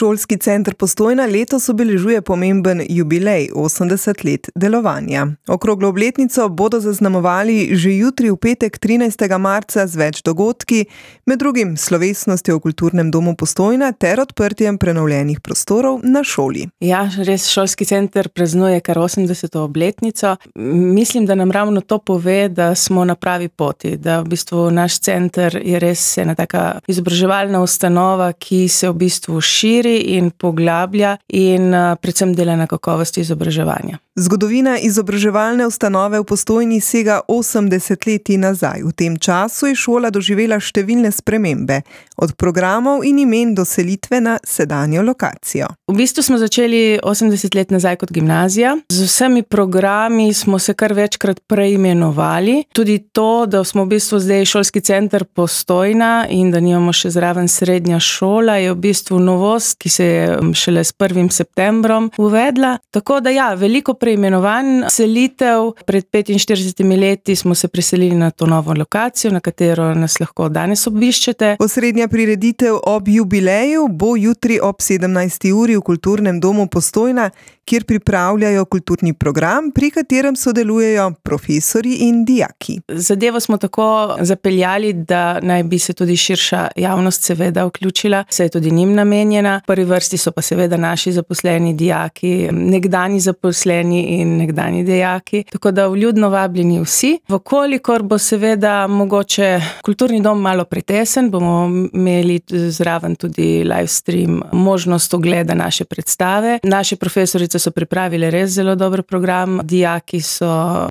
Šolski center Postojna letos obeležuje pomemben jubilej, 80 let delovanja. Okroglo obletnico bodo zaznamovali že jutri v petek 13. marca z več dogodki, med drugim slovesnostjo v Kulturnem domu Postojna ter odprtjem prenovljenih prostorov na šoli. Ja, res Šolski center praznuje kar 80. obletnico. Mislim, da nam ravno to pove, da smo na pravi poti, da v bistvu naš center je res ena taka izobraževalna ustanova, ki se v bistvu širi in poglablja in predvsem dela na kakovosti izobraževanja. Zgodovina izobraževalne ustanove v Postojni sega 80 leti nazaj. V tem času je šola doživela številne spremembe, od programov in imen do selitve na sedanjo lokacijo. V bistvu smo začeli 80 let nazaj kot gimnazija. Z vsemi programi smo se kar večkrat preimenovali. Tudi to, da smo v bistvu zdaj Šolski center Postojna in da nimamo še zraven srednja šola, je v bistvu novost, ki se je šele s 1. septembrom uvedla. Tako da ja, veliko preimenovanj, selitev. Pred 45 leti smo se preselili na to novo lokacijo, na katero nas lahko danes obiščete. Osrednja prireditev ob jubileju bo jutri ob 17. uri v Kulturnem domu Postojna, kjer pripravljajo kulturni program, pri katerem sodelujejo profesorji in dijaki. Zadevo smo tako zapeljali, da naj bi se tudi širša javnost seveda vključila, saj je tudi njim namenjena. V prvi vrsti so pa seveda naši zaposleni dijaki, nekdani zaposleni in nekdani dijaki, tako da vljudno vabljeni vsi. Vkolikor bo seveda mogoče kulturni dom malo pretesen, bomo imeli zraven tudi live stream, možnost ogleda naše predstave. Naše profesorice so pripravile res zelo dober program, dijaki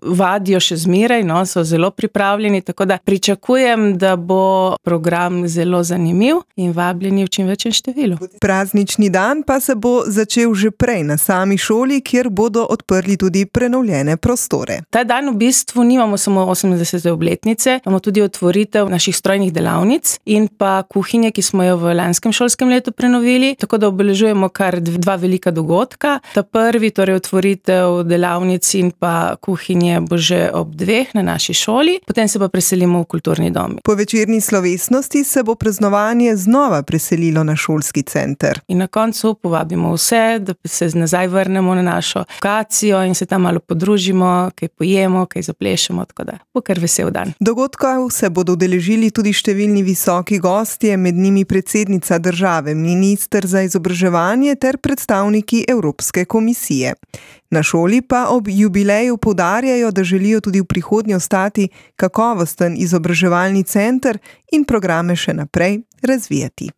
vadijo še zmeraj, so zelo pripravljeni, tako da pričakujem, da bo program zelo zanimiv in vabljeni v čim večjem številu. Praznični dan pa se bo začel že prej na sami šoli, kjer bodo odprli tudi prenovljene prostore. Ta dan v bistvu nimamo samo 80. obletnice, imamo tudi otvoritev naših strojnih delavnic in pa kuhinje, ki smo jo v lanskem šolskem letu prenovili, tako da obeležujemo kar dva velika dogodka. Ta prvi, torej otvoritev delavnic in pa kuhinje bo že ob 2 na naši šoli, potem se pa preselimo v kulturni dom. Po večerni slovesnosti se bo praznovanje znova preselilo na Šolski center. In na koncu povabimo vse, da se nazaj vrnemo na našo lokacijo in se tam malo podružimo, kaj pojemo, kaj zaplešemo, tako da bo kar vesel dan. Dogodkov se bodo udeležili tudi številni visoki gostje, med njimi predsednica države, minister za izobraževanje ter predstavniki Evropske komisije. Na šoli pa ob jubileju poudarjajo, da želijo tudi v prihodnje ostati kakovosten izobraževalni center in programe še naprej razvijati.